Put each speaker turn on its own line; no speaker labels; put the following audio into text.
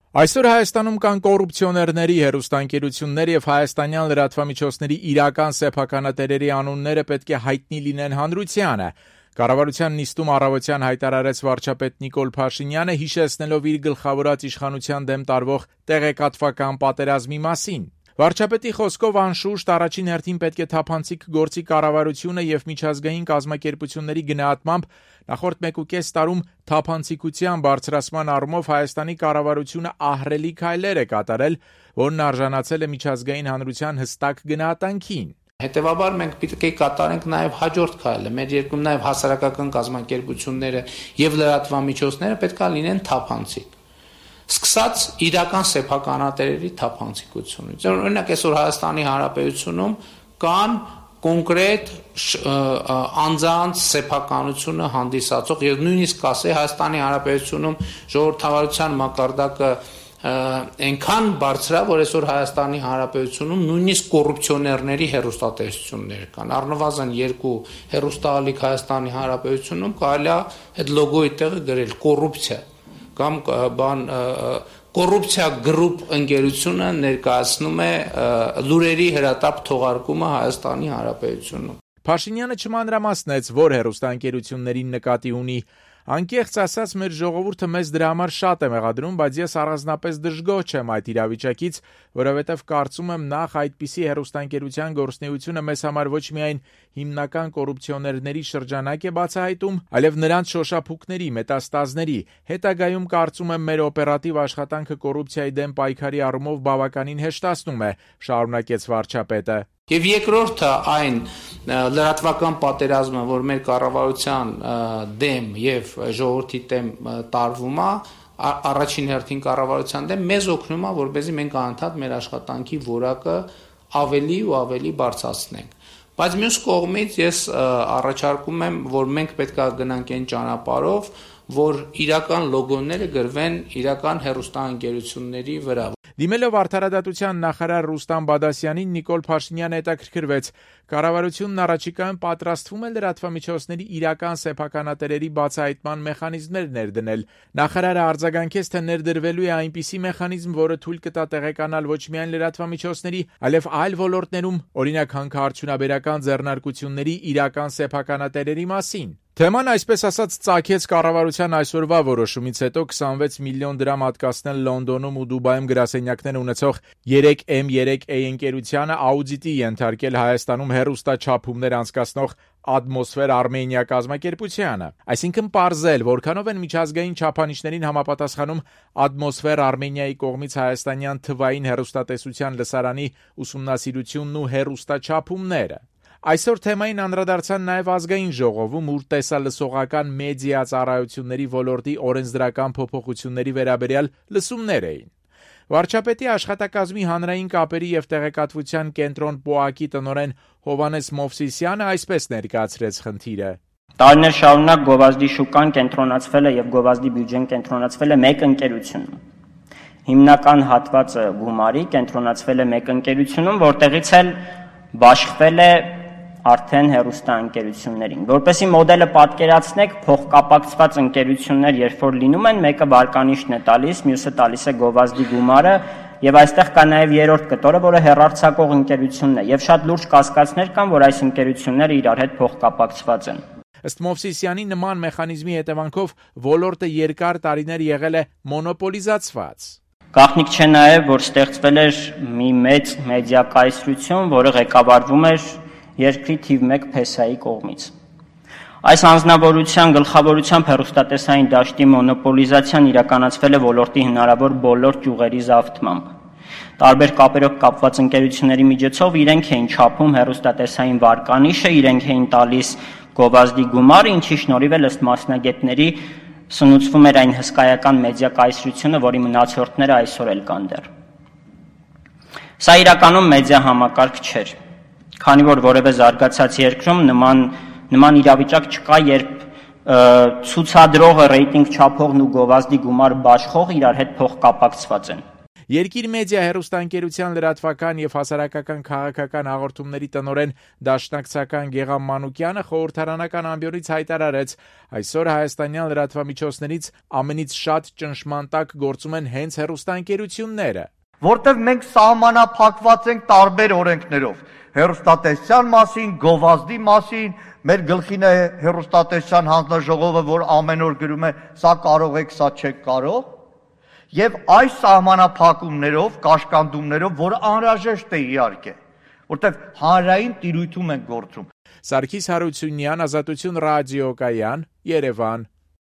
Այսօր Հայաստանում կան կոռուպցիոներների, հեռուստաընկերություններ եւ հայաստանյան լրատվամիջոցների իրական սեփականատերերի անունները պետք է հայտնի լինեն հանրությանը։ Կառավարության նիստում առավոտյան հայտարարեց վարչապետ Նիկոլ Փաշինյանը, հիշեցնելով իր գլխավորած իշխանության դեմ տարվող տեղեկատվական պատերազմի մասին։ Վարչապետի խոսքով անշուշտ առաջին հերթին պետք է թափանցիկ գործի կառավարությունը եւ միջազգային կազմակերպությունների գնահատմամբ նախորդ 1.5 տարում թափանցիկության բարձրացման առումով Հայաստանի կառավարությունը ահռելի քայլեր է կատարել, որն արժանացել է միջազգային հանրության հստակ գնահատանքին։
Հետևաբար մենք պետք է կատարենք նաև հաջորդ քայլը։ Մեր երկրում նաև հասարակական կազմակերպությունները եւ լրատվամիջոցները պետք է լինեն թափանցիկ։ Սկսած իրական սեփականատերերի թափանցիկությունից։ Օրինակ այսօր Հայաստանի Հանրապետությունում կան կոնկրետ անձանց սեփականությունը հանդիսացող եւ նույնիսկ ասե Հայաստանի Հանրապետությունում ժողովրդավարության մակարդակը այնքան բարձր է, որ այսօր Հայաստանի Հանրապետությունում նույնիսկ կոռուպցիոներների հեռուստատեսություններ կան։ Առնվազն 2 հեռուստաալիք Հայաստանի Հանրապետությունում կարելի է այդ լոգոյի տեղը գրել կոռուպցիա կամ կոռուպցիա գրուպ ընկերությունը ներկայացնում է լուրերի հրատապ թողարկումը Հայաստանի Հանրապետությունում։
Փաշինյանը չմանրամասնեց, որ հեռուստաընկերություններին նկատի ունի։ Անկեղծ ասած, մեր ժողովուրդը մեզ դրա համար շատ է մեղադրում, բայց ես առանձնապես դժգոհ չեմ այդ իրավիճակից, որովհետև կարծում եմ նախ այդպիսի հեռուստաընկերության գործունեությունը մեզ համար ոչ միայն հիմնական կոռուպցիոներների շրջանակ է բացահայտում, այլև նրանց շոշափուկների, մետաստազների, հետագայում կարծում եմ մեր օպերատիվ աշխատանքը կոռուպցիայի դեմ պայքարի առումով բավականին հեշտացնում է, շարունակեց վարչապետը։
Եվ երկրորդը այն լրատվական պատերազմը, որ մեր կառավարության դեմ եւ ժողովրդի դեմ տարվում է, առաջին հերթին կառավարության դեմ մեզ օգնում է, որպեսզի մենք անընդհատ մեր աշխատանքի որակը ավելի ու ավելի բարձրացնենք։ Բայց մյուս կողմից ես առաջարկում եմ, որ մենք պետք է գնանք այն ճանապարհով, որ իրական լոգոները գրվեն իրական հեռուստաընկերությունների վրա։
Դիմելով արդարադատության նախարար Ռուստամ Բադասյանին, Նիկոլ Փաշինյանը հետաքրքրվեց. կառավարությունն առաջիկայում պատրաստվում է լրատվամիջոցների իրական սեփականատերերի բացահայտման մեխանիզմներ ներդնել։ Նախարարը արձագանքեց, թե ներդրվելու է այնպիսի մեխանիզմ, որը թույլ կտա տեղեկանալ ոչ միայն լրատվամիջոցների, այլև այլ ոլորտներում, օրինակ հանքարդյունաբերական ձեռնարկությունների իրական սեփականատերերի մասին։ Թեման այսպես ասած ծագեց կառավարության այսօրվա որոշումից հետո 26 միլիոն դրամ հատկացնել Լոնդոնում ու Դուբայում գրասենյակներ ունեցող 3M3A ընկերությանը աուդիտի ենթարկել Հայաստանում հեռուստաչափումներ անցկացնող Atmosphere Armenia կազմակերպությանը։ Այսինքն պարզել, որքանով են միջազգային չափանիշներին համապատասխանում Atmosphere Armenia-ի կողմից հայաստանյան թվային հեռուստատեսության լսարանի ուսումնասիրությունն ու հեռուստաչափումները։ Այսօր թեմային անդրադարձան նաև ազգային ժողովում, ուր տեսալսողական մեդիա ծառայությունների ոլորտի օրենսդրական փոփոխությունների վերաբերյալ լսումներ էին։ Վարչապետի աշխատակազմի հանրային կապերի եւ տեղեկատվության կենտրոն ՊՕԱԿ-ի տնօրեն Հովհաննես Մովսիսյանը այսպես ներկայացրեց խնդիրը։
Տարիներ շարունակ գովազդի շուկան կենտրոնացվել է եւ գովազդի բյուջեն կենտրոնացվել է մեկ ընկերությունում։ Հիմնական հատվածը գումարի կենտրոնացվել է մեկ ընկերությունում, որտեղից էլ բաշխվել է արդեն հեռուստաընկերություններին։ Որպեսզի մոդելը պատկերացնեք, փոխկապակցված ընկերություններ, երբ որ լինում են, մեկը վարկանիշն է տալիս, մյուսը տալիս է գովազդի գումարը, եւ այստեղ կա նաեւ երրորդ կտորը, որը հեռարձակող ընկերությունն է, եւ շատ լուրջ կասկածներ կան, որ այս ընկերությունները իրար հետ փոխկապակցված են։
Ըստ Մովսիսյանի նման մեխանիզմի հետևանքով ոլորտը երկար տարիներ եղել է մոնոպոլիզացված։
Գաղտնիք չէ նաեւ, որ ստեղծվել էր մի մեծ մեդիա կայսրություն, որը ղեկավարվում էր երկրի թիվ 1 փեսայի կողմից։ Այս անձնավորության գլխավորությամբ հեռուստատեսային դաշտի մոնոպոլիզացիան իրականացվել է ոլորտի հնարավոր բոլոր ճյուղերի զավթմամբ։ Տարբեր կապերով կապված ընկերությունների միջոցով իրենք էին չափում հեռուստատեսային վարկանիշը, իրենք էին տալիս գովազդի գումարը, ինչի շնորհիվ էլ ըստ մասնագետների սնուցվում էր այն հսկայական մեդիա կայսրությունը, որի մնացորդները այսօր էլ կան դեռ։ Սա իրականում մեդիա համակարգ չէր, քանի որ որևէ զարգացած երկրում նման իրավիճակ չկա, երբ ցուցադրողը, ռեյտինգ չափողն ու գովազդի գումար բաշխող իրար հետ փոխկապակցված են։
Երկիր մեդիա հեռուստաընկերության լրատվական եւ հասարակական քաղաքական հաղորդումների տնօրեն դաշնակցական Գեգամ Մանուկյանը խորհրդարանական ամբիոնից հայտարարեց. այսօր հայաստանյան լրատվամիջոցներից ամենից շատ ճնշման տակ գործում են հենց հեռուստաընկերությունները,
որտեղ մենք սահմանափակված ենք տարբեր օրենքներով, հեռուստատեսության մասին, գովազդի մասին, մեր գլխին է հեռուստատեսության հանձնաժողովը, որ ամեն օր գրում է, սա կարող եք, սա չեք կարող, եւ այս սահմանափակումներով, կաշկանդումներով, որը անհրաժեշտ է իհարկե, որտեղ հանրային տիրույթում ենք գործում։
Սարգիս Հարությունյան, Ազատություն ռադիոկայան, Երևան։